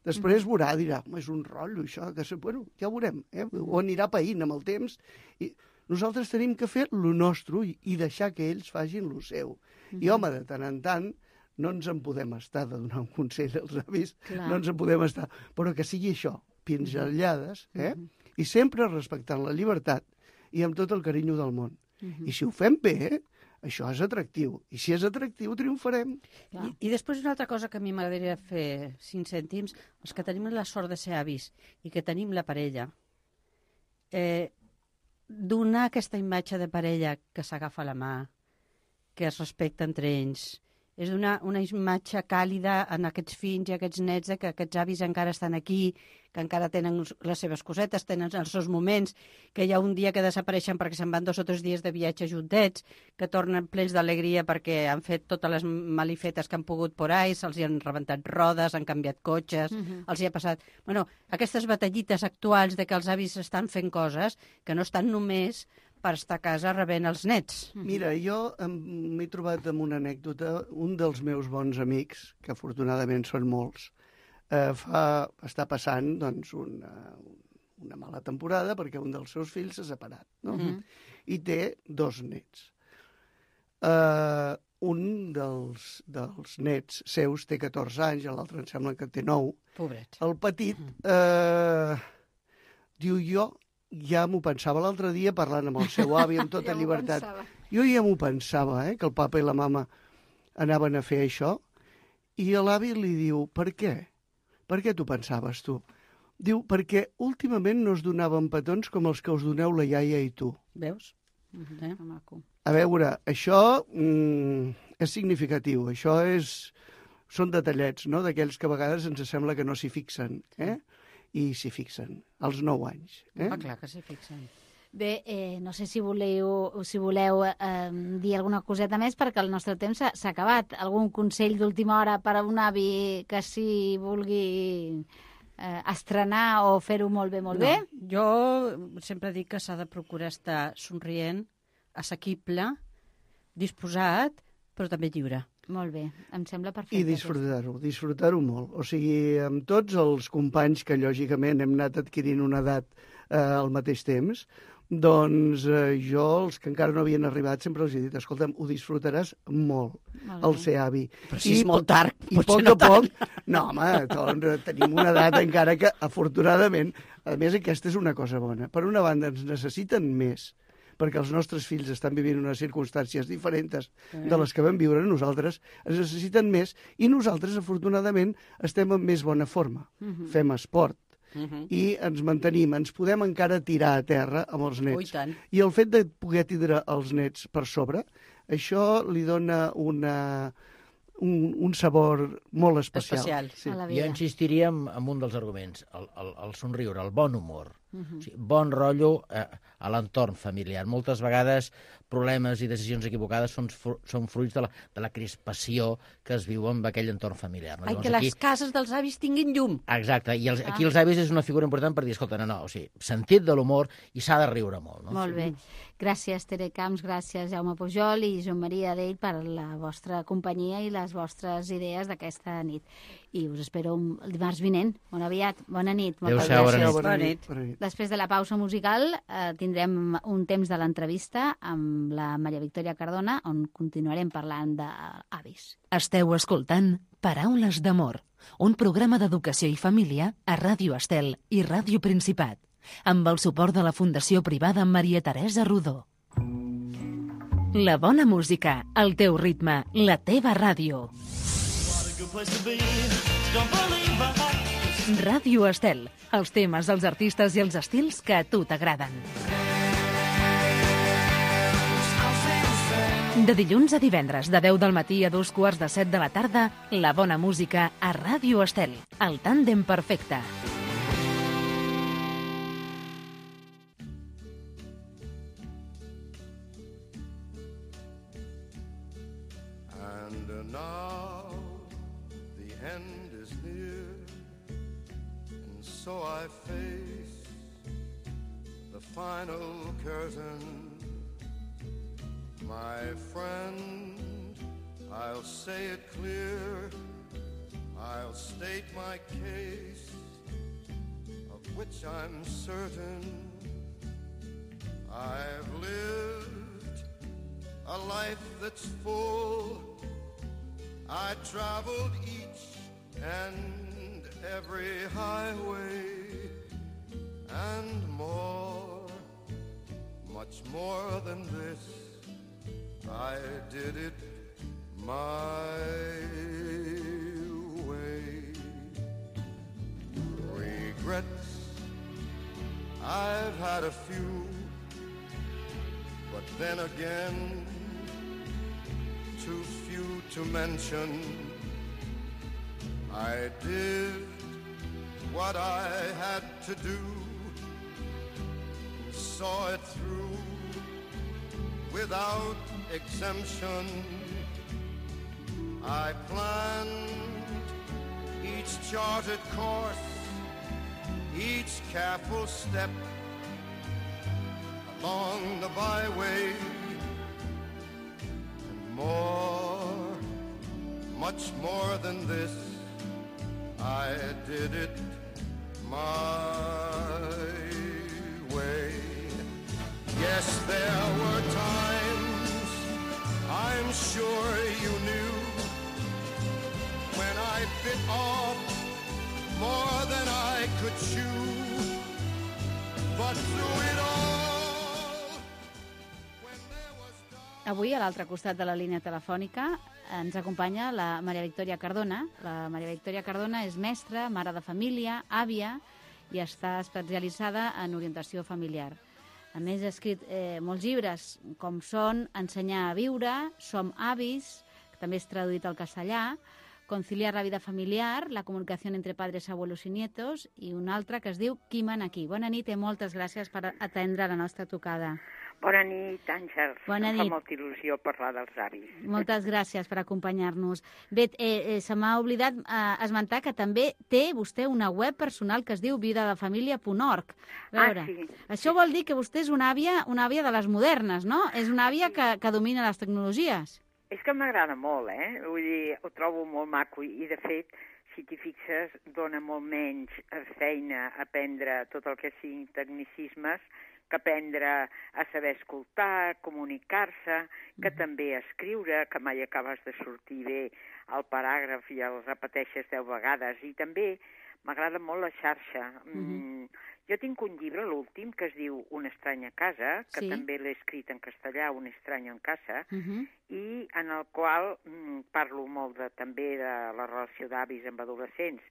Després veurà, dirà, és un rotllo, això, bueno, ja ho veurem, o anirà païnt amb el temps, i nosaltres tenim que fer lo nostre i deixar que ells facin lo seu. I, home, de tant en tant, no ens en podem estar de donar un consell als avis, no ens en podem estar, però que sigui això, pinzellades, i sempre respectant la llibertat i amb tot el carinyo del món. I si ho fem bé, això és atractiu. I si és atractiu, triomfarem. I després una altra cosa que a mi m'agradaria fer 5 cèntims, els que tenim la sort de ser avis i que tenim la parella, donar aquesta imatge de parella que s'agafa la mà, que es respecta entre ells, és donar una imatge càlida en aquests fills i aquests nets que aquests avis encara estan aquí, que encara tenen les seves cosetes, tenen els seus moments, que hi ha un dia que desapareixen perquè se'n van 2 o 3 dies de viatge juntets, que tornen plens d'alegria perquè han fet totes les malifetes que han pogut por ahí, se'ls han rebentat rodes, han canviat cotxes, els hi ha passat... Bueno, aquestes batallites actuals de que els avis estan fent coses que no estan només per estar a casa rebent els nets. Mira, jo m'he trobat amb una anècdota. Un dels meus bons amics, que afortunadament són molts, està passant doncs, una mala temporada perquè un dels seus fills s'ha separat, no? I té 2 nets. Un dels nets seus té 14 anys, l'altre em sembla que té 9. Pobret. El petit diu, jo ja m'ho pensava l'altre dia parlant amb el seu avi amb tota llibertat. Jo ja m'ho pensava, que el papa i la mama anaven a fer això. I l'avi li diu, per què? Per què t'ho pensaves, tu? Diu, perquè últimament no es donaven petons com els que us doneu la iaia i tu. Veus? A veure, això és significatiu. Això són detallets, no?, d'aquells que a vegades ens sembla que no s'hi fixen, i s'hi fixen, als 9 anys. Clar que s'hi fixen. Bé, no sé si voleu dir alguna coseta més, perquè el nostre temps s'ha acabat. Algun consell d'última hora per a un avi que s'hi vulgui estrenar o fer-ho molt bé? Jo sempre dic que s'ha de procurar estar somrient, assequible, disposat, però també lliure. Molt bé, em sembla perfecte. I disfrutar-ho molt. O sigui, amb tots els companys que lògicament hem anat adquirint una edat al mateix temps, doncs jo, els que encara no havien arribat, sempre els he dit, escolta'm, ho disfrutaràs molt, el ser avi. Però si és molt tard, potser no tant. No, home, tenim una edat encara que, afortunadament, a més, aquesta és una cosa bona. Per una banda, ens necessiten més, perquè els nostres fills estan vivint unes circumstàncies diferents de les que vam viure nosaltres, ens necessiten més, i nosaltres, afortunadament, estem en més bona forma. Fem esport, i ens mantenim, ens podem encara tirar a terra amb els nets. I el fet de poder tindre els nets per sobre, això li dona un sabor molt especial. Sí. Jo insistiria en un dels arguments, el somriure, el bon humor. O sigui, bon rotllo a l'entorn familiar. Moltes vegades problemes i decisions equivocades són fruits de la crispació que es viu amb aquell entorn familiar. No? Ai, que les cases dels avis tinguin llum. Exacte, i aquí els avis és una figura important per dir, escolta, o sigui, sentit de l'humor i s'ha de riure molt. No? Molt bé. Gràcies, Tere Camps, gràcies, Jaume Pujol i Joan Maria Adell per la vostra companyia i les vostres idees d'aquesta nit. I us espero el dimarts vinent. Molt aviat. Bona nit. Adéu-siau, bona nit. Després de la pausa musical tindrem un temps de l'entrevista amb la Maria Victòria Cardona, on continuarem parlant d'avis. Esteu escoltant Paraules d'amor, un programa d'educació i família a Ràdio Estel i Ràdio Principat, amb el suport de la Fundació Privada Maria Teresa Rodó. La bona música, el teu ritme, la teva ràdio. Ràdio Estel, els temes, els artistes i els estils que a tu t'agraden. De dilluns a divendres, de 10 del matí a 2:15 de la tarda, la bona música a Ràdio Estel, el tàndem perfecte. And now the end is near, and so I face final curtain. My friend, I'll say it clear, I'll state my case, of which I'm certain. I've lived a life that's full. I traveled each and every highway and more, much more than this. I did it my way. Regrets, I've had a few, but then again, too few to mention. I did what I had to do, saw it through without exemption. I planned each charted course, each careful step along the byway, and more, much more than this, I did it my way. Yes, there were times, I'm sure you knew, when I bit off more than I could chew, but through it all, when there was dark... Avui, a l'altre costat de la línia telefònica, ens acompanya la Maria Victòria Cardona. La Maria Victòria Cardona és mestra, mare de família, àvia, i està especialitzada en orientació familiar. A més, ha escrit molts llibres, com són Ensenyar a viure, Som avis, que també és traduït al castellà, Conciliar la vida familiar, la comunicació entre padres, abuelos i nietos, i un altre que es diu Qui mana aquí. Bona nit i moltes gràcies per atendre la nostra trucada. Bona nit, Àngels. Bona nit. Em fa molta il·lusió parlar dels avis. Moltes gràcies per acompanyar-nos. Bé, se m'ha oblidat esmentar que també té vostè una web personal que es diu vidadefamilia.org. Sí. Això vol dir que vostè és una àvia de les modernes, no? És una àvia que domina les tecnologies. És que m'agrada molt, Vull dir, ho trobo molt maco i de fet, si t'hi fixes, dona molt menys feina aprendre tot el que siguin tecnicismes que aprendre a saber escoltar, comunicar-se, que també escriure, que mai acabes de sortir bé el paràgraf i el repeteixes 10 vegades. I també m'agrada molt la xarxa. Jo tinc un llibre, l'últim, que es diu Una estranya casa, que també l'he escrit en castellà, Un estrany en casa, i en el qual parlo molt també de la relació d'avis amb adolescents.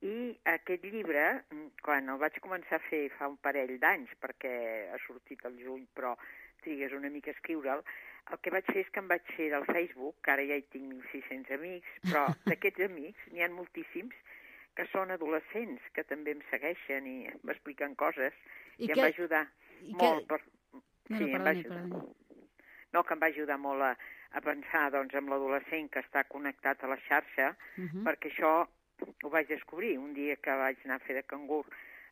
I aquest llibre, quan el vaig començar a fer fa un parell d'anys, perquè ha sortit al juny, però trigues una mica a escriure'l, el que vaig fer és que em vaig fer del Facebook, que ara ja hi tinc 1.600 amics, però d'aquests amics n'hi ha moltíssims que són adolescents, que també em segueixen i m'expliquen coses, i em va ajudar molt. No, que em va ajudar molt a pensar en l'adolescent que està connectat a la xarxa, perquè això ho vaig descobrir un dia que vaig anar a fer de cangur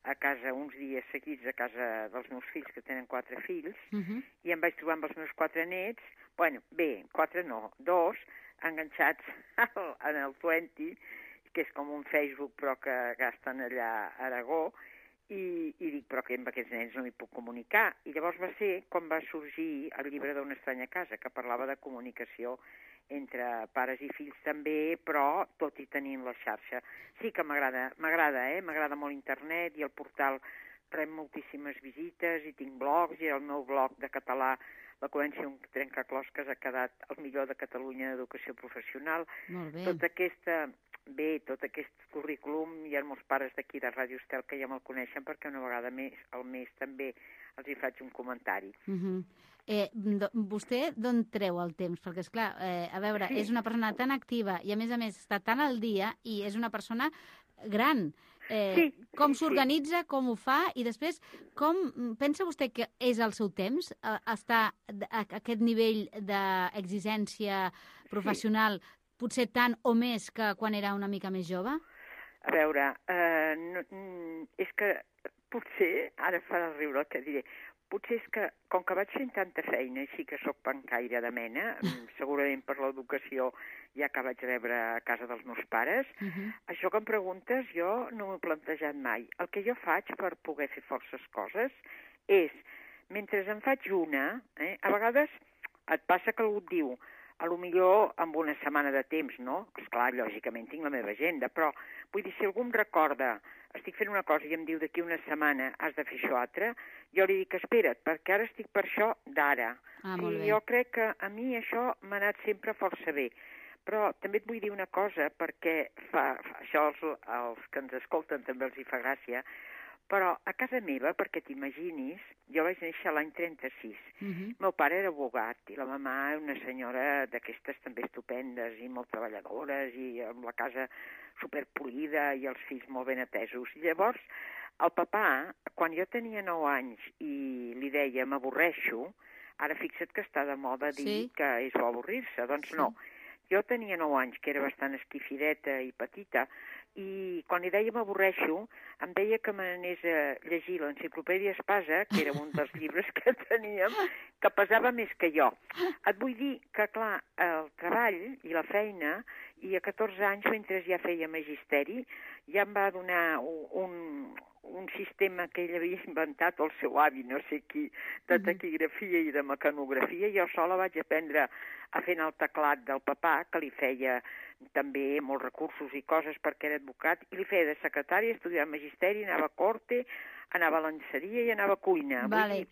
a casa, uns dies seguits a casa dels meus fills, que tenen 4 fills, i em vaig trobar amb els meus 4 nets, 4 no, 2, enganxats en el 20, que és com un Facebook però que gasten allà a Aragó, i dic, però que amb aquests nens no m'hi puc comunicar. I llavors va ser quan va sorgir el llibre d'Una estranya casa, que parlava de comunicació entre pares i fills també, però tot i tenint la xarxa. Sí que m'agrada, m'agrada molt internet, i el portal rep moltíssimes visites, i tinc blogs, i el meu blog de català, La Coència un trencaclosques, ha quedat el millor de Catalunya d'educació professional. Molt bé. Tot aquest currículum, hi ha molts pares d'aquí de Ràdio Estel que ja me'l coneixen, perquè una vegada al mes també els hi faig un comentari. Vostè d'on treu el temps? Perquè, esclar, a veure, és una persona tan activa i, a més, està tan al dia, i és una persona gran. Com s'organitza, com ho fa, i després, com pensa vostè que és el seu temps, estar a aquest nivell d'exigència professional, potser tant o més que quan era una mica més jove? A veure, és que potser, ara farà riure el que diré, Potser és que, com que vaig fent tanta feina, així que sóc pencaire de mena, segurament per l'educació ja que vaig rebre a casa dels meus pares, això que em preguntes jo no m'ho he plantejat mai. El que jo faig per poder fer forces coses és, mentre en faig una, a vegades et passa que algú et diu, a lo millor amb una setmana de temps, no? Esclar, lògicament tinc la meva agenda, però vull dir, si algú em recorda, estic fent una cosa i em diu d'aquí una setmana has de fer això altre, jo li dic, espera't, perquè ara estic per això d'ara. I jo crec que a mi això m'ha anat sempre força bé. Però també et vull dir una cosa, perquè això als que ens escolten també els hi fa gràcia, però a casa meva, perquè t'imaginis, jo vaig néixer l'any 36. Meu pare era abogat i la mamà una senyora d'aquestes també estupendes i molt treballadores i amb la casa superpolida i els fills molt ben atesos. I llavors, el papà, quan jo tenia 9 anys i li deia m'avorreixo, ara fixa't que està de moda dir que és bo avorrir-se. Doncs no. Jo tenia 9 anys, que era bastant esquifideta i petita, i quan li deia m'avorreixo, em deia que m'anés a llegir l'Enciclopèdia Espasa, que era un dels llibres que teníem, que pesava més que jo. Et vull dir que, clar, el treball i la feina, i a 14 anys, mentre ja feia magisteri, ja em va donar un sistema que ell havia inventat, el seu avi, no sé qui, de taquigrafia i de mecanografia. Jo sola vaig aprendre a fer el teclat del papà, que li feia també molts recursos i coses perquè era advocat, i li feia de secretària, estudiava magisteri, anava a corte, anava a lenceria i anava a cuina. Vale.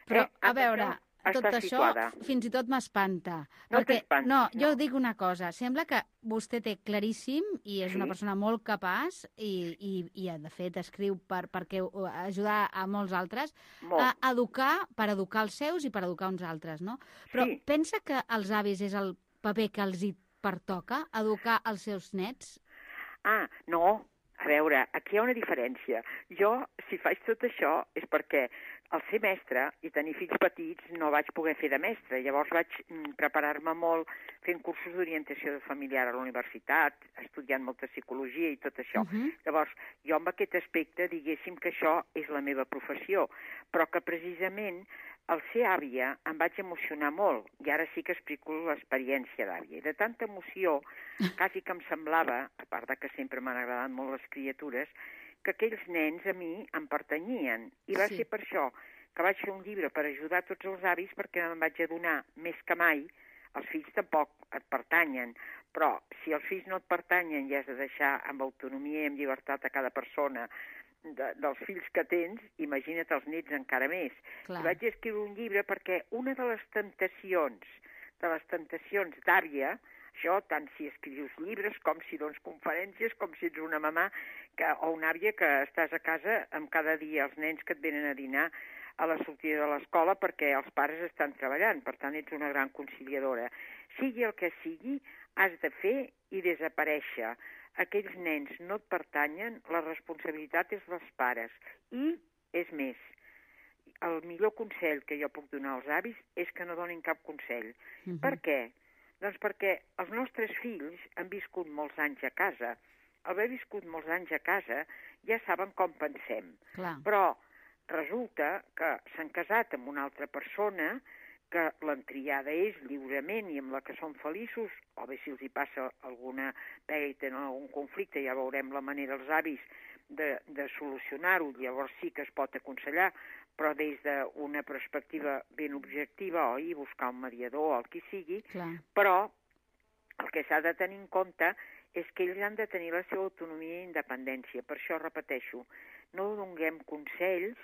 Però, a veure, tot això fins i tot m'espanta. No t'espanta? No, jo dic una cosa. Sembla que vostè té claríssim i és una persona molt capaç i de fet, escriu perquè ajudar a molts altres a educar, per educar els seus i per educar uns altres, no? Però pensa que els avis és el paper que els hi pertoca, educar els seus nets? No. A veure, aquí hi ha una diferència. Jo, si faig tot això, és perquè al ser mestre i tenir fills petits no vaig poder fer de mestre. Llavors vaig preparar-me molt fent cursos d'orientació familiar a la universitat, estudiant molta psicologia i tot això. Llavors, jo amb aquest aspecte diguéssim que això és la meva professió, però que precisament al ser àvia em vaig emocionar molt, i ara sí que explico l'experiència d'àvia. I de tanta emoció, quasi que em semblava, a part de que sempre m'han agradat molt les criatures, que aquells nens a mi em pertanyien. I va ser per això que vaig fer un llibre per ajudar tots els avis, perquè em vaig adonar més que mai, els fills tampoc et pertanyen, però si els fills no et pertanyen i has de deixar amb autonomia i amb llibertat a cada persona dels fills que tens, imagina't els nets encara més. I vaig escriure un llibre perquè una de les tentacions d'àvia, això tant si escrius llibres com si dones conferències, com si ets una mamà o una àvia que estàs a casa amb cada dia els nens que et venen a dinar a la sortida de l'escola perquè els pares estan treballant, per tant ets una gran conciliadora. Sigui el que sigui, has de fer i desaparèixer. Aquells nens no et pertanyen, la responsabilitat és dels pares. I, és més, el millor consell que jo puc donar als avis és que no donin cap consell. Per què? Doncs perquè els nostres fills han viscut molts anys a casa. Al haver viscut molts anys a casa ja saben com pensem. Però resulta que s'han casat amb una altra persona que l'entriada és lliurement i amb la que són feliços, o bé si els hi passa alguna pega i tenen algun conflicte, ja veurem la manera els avis de solucionar-ho, llavors sí que es pot aconsellar, però des d'una perspectiva ben objectiva, oi, buscar un mediador o el qui sigui, però el que s'ha de tenir en compte és que ells han de tenir la seva autonomia i independència. Per això repeteixo, no donem consells,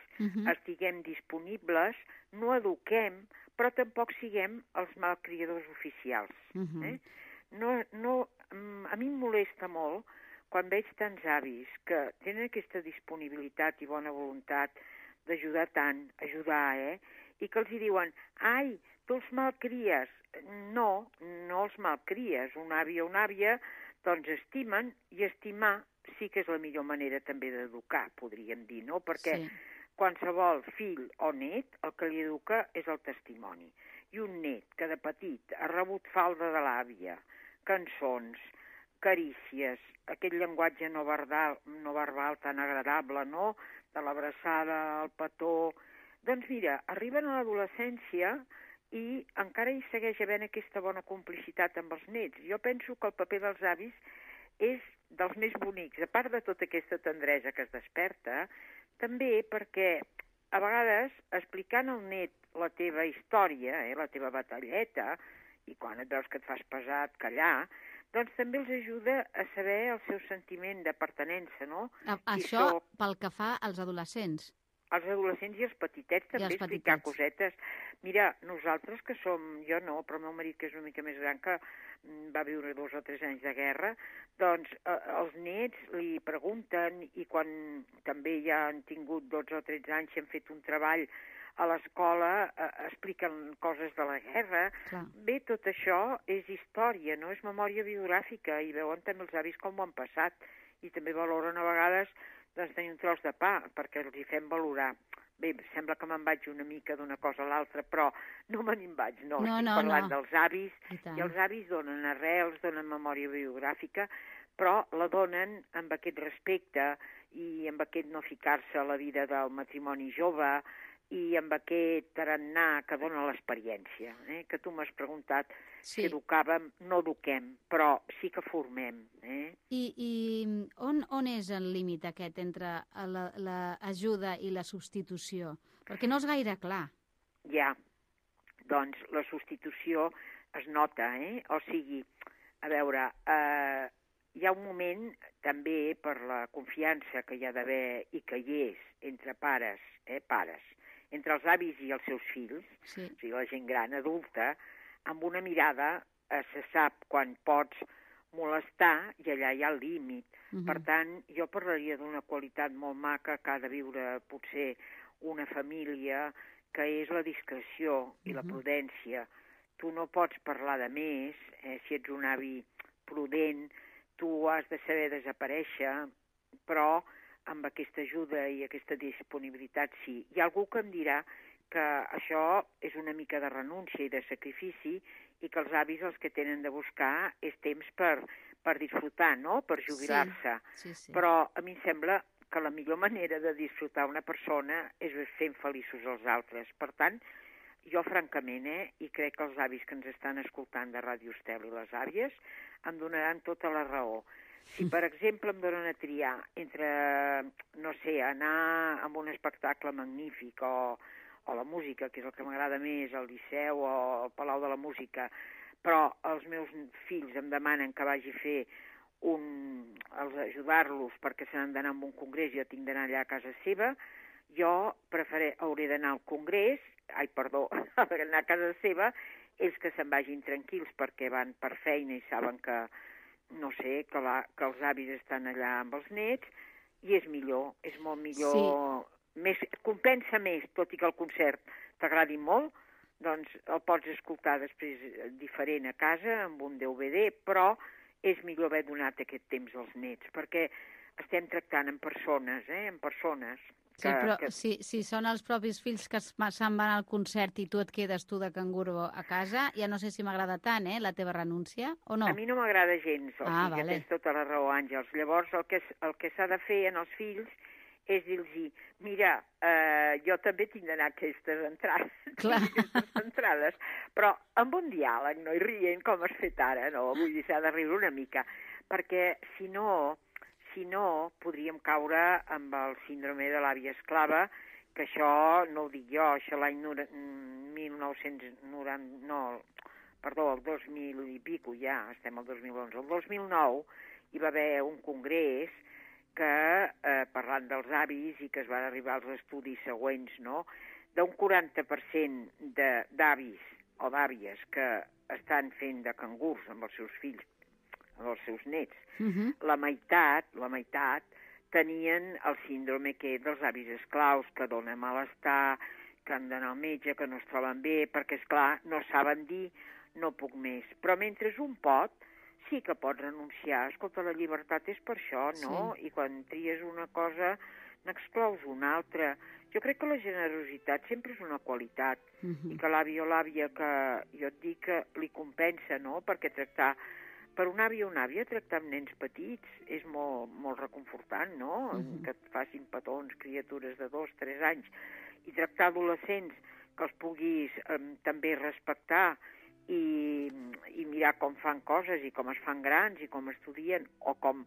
estiguem disponibles, no eduquem, però tampoc siguem els malcriadors oficials. A mi em molesta molt quan veig tants avis que tenen aquesta disponibilitat i bona voluntat d'ajudar tant, i que els hi diuen, ai, tu els malcries. No, no els malcries. Un avi o una àvia, doncs estimen, i estimar sí que és la millor manera també d'educar, podríem dir, no? Perquè qualsevol fill o net el que li educa és el testimoni. I un net que de petit ha rebut falda de l'àvia, cançons, carícies, aquell llenguatge no verbal tan agradable, no?, de l'abraçada, el petó, Doncs mira, arriben a l'adolescència i encara hi segueix havent aquesta bona complicitat amb els nets. Jo penso que el paper dels avis és dels més bonics, a part de tota aquesta tendresa que es desperta, també perquè a vegades explicant al net la teva història, la teva batalleta, i quan et veus que et fas pesat, callar, doncs també els ajuda a saber el seu sentiment de pertinença, no? Això pel que fa als adolescents. Els adolescents i els petitets també explicar cosetes. Mira, nosaltres que som, jo no, però el meu marit que és una mica més gran, que va viure 2 o 3 anys de guerra, doncs els nets li pregunten i quan també ja han tingut 12 o 13 anys i han fet un treball a l'escola, expliquen coses de la guerra. Clar. Bé, tot això és història, no? És memòria biogràfica i veuen també els avis com ho han passat i també valoren a vegades doncs tenir un tros de pa, perquè els hi fem valorar. Bé, sembla que me'n vaig una mica d'una cosa a l'altra, però no me n'hi vaig, no. Estic parlant dels avis, i els avis donen arrels, donen memòria biogràfica, però la donen amb aquest respecte i amb aquest no ficar-se a la vida del matrimoni jove i amb aquest tarannà que dona l'experiència, que tu m'has preguntat si educàvem, no eduquem, però sí que formem. I on és el límit aquest entre l'ajuda i la substitució? Perquè no és gaire clar. Ja, doncs la substitució es nota, O sigui, a veure, hi ha un moment també per la confiança que hi ha d'haver i que hi és entre pares, entre els avis i els seus fills, o sigui, la gent gran, adulta, amb una mirada se sap quan pots molestar i allà hi ha el límit. Per tant, jo parlaria d'una qualitat molt maca que ha de viure potser una família, que és la discreció i la prudència. Tu no pots parlar de més, si ets un avi prudent, tu has de saber desaparèixer, però amb aquesta ajuda i aquesta disponibilitat sí. Hi ha algú que em dirà que això és una mica de renúncia i de sacrifici i que els avis els que tenen de buscar és temps per disfrutar, no?, per jubilar-se. Sí. Però a mi em sembla que la millor manera de disfrutar una persona és fent feliços els altres. Per tant, jo francament, i crec que els avis que ens estan escoltant de Ràdio Estel i les àvies em donaran tota la raó. Si, per exemple, em donen a triar entre, no sé, anar a un espectacle magnífic o la música, que és el que m'agrada més, al Liceu o al Palau de la Música, però els meus fills em demanen que vagi a fer ajudar-los perquè se n'han d'anar a un congrés i jo tinc d'anar allà a casa seva, jo hauré d'anar al congrés, anar a casa seva, ells que se'n vagin tranquils perquè van per feina i saben que, no sé, que els avis estan allà amb els nets, i és millor, és molt millor, compensa més, tot i que el concert t'agradi molt, doncs el pots escoltar després diferent a casa, amb un DVD, però és millor haver donat aquest temps als nets, perquè estem tractant amb persones, amb persones. Sí, però si són els propis fills que se'n van al concert i tu et quedes tu de canguro a casa, ja no sé si m'agrada tant, la teva renúncia, o no? A mi no m'agrada gens, o sigui que tens tota la raó, Àngels. Llavors, el que s'ha de fer en els fills és dir-los, mira, jo també tinc d'anar a aquestes entrades, però amb un diàleg, no? I rient com has fet ara, no? Vull dir, s'ha de riure una mica, perquè si no podríem caure amb el síndrome de l'àvia esclava, que això no ho dic jo, això l'any 2000 i pico, ja estem al 2011. El 2009 hi va haver un congrés que, parlant dels avis i que es van arribar als estudis següents, no?, d'un 40% d'avis o d'àvies que estan fent de cangurs amb els seus fills, amb els seus nets, la meitat tenien el síndrome dels avis esclaus, que dona malestar, que han d'anar al metge, que no es troben bé, perquè, esclar, no saben dir, no puc més. Però mentre un pot, sí que pots renunciar. Escolta, la llibertat és per això, no? Sí. I quan tries una cosa, n'exclous una altra. Jo crec que la generositat sempre és una qualitat, i que l'avi o l'àvia, que jo et dic que li compensa, no?, perquè per un avi o una àvia tractar amb nens petits és molt, molt reconfortant, no?, que et facin petons, criatures de 2 o 3 anys. i tractar adolescents que els puguis també respectar i mirar com fan coses i com es fan grans i com estudien o com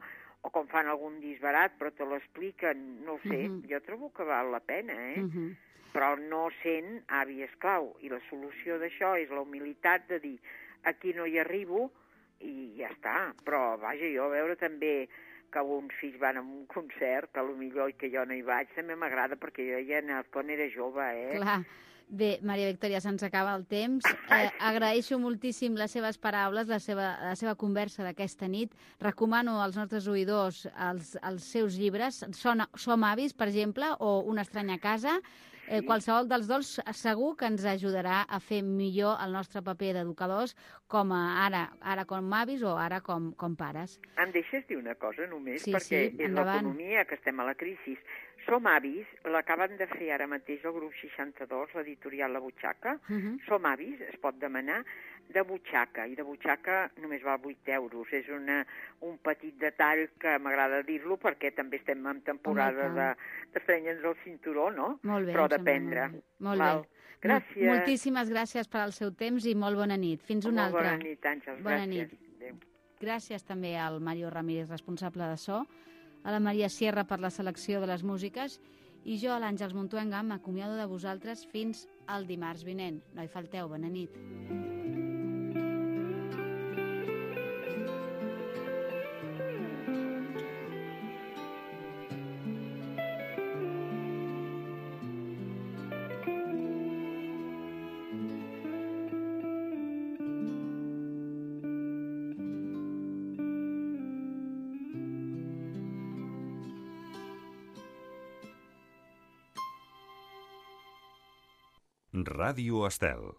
fan algun disbarat però te l'expliquen, no ho sé, jo trobo que val la pena, però no sent avi esclau. I la solució d'això és la humilitat de dir aquí no hi arribo i ja està. Però, vaja, jo a veure també que uns fills van a un concert, que potser que jo no hi vaig, també m'agrada perquè jo ja he anat quan era jove, Clar. Bé, Maria Victòria, se'ns acaba el temps. Agraeixo moltíssim les seves paraules, la seva conversa d'aquesta nit. Recomano als nostres oïdors els seus llibres. Som avis, per exemple, o Una estranya casa. Qualsevol dels dos segur que ens ajudarà a fer millor el nostre paper d'educadors com ara com avis o ara com pares. Em deixes dir una cosa només? Sí, perquè sí, és endavant. l'economia, que estem a la crisi. Som avis, l'acaben de fer ara mateix el grup 62, l'editorial La Butxaca. Som avis, es pot demanar, de butxaca, i de butxaca només val 8 euros. És un petit detall que m'agrada dir-lo perquè també estem en temporada d'estrenye'ns el cinturó, no? Molt bé, però d'aprendre. Molt bé. Gràcies. Moltíssimes gràcies per al seu temps i molt bona nit. Fins una altra. Bona nit, Àngels. Bona Gràcies. nit. Gràcies també al Mario Ramírez, responsable de so, a la Maria Sierra per la selecció de les músiques i jo, a l'Àngels Montuenga, m'acomiado de vosaltres fins al dimarts vinent. No hi falteu, bona nit. Ràdio Estel.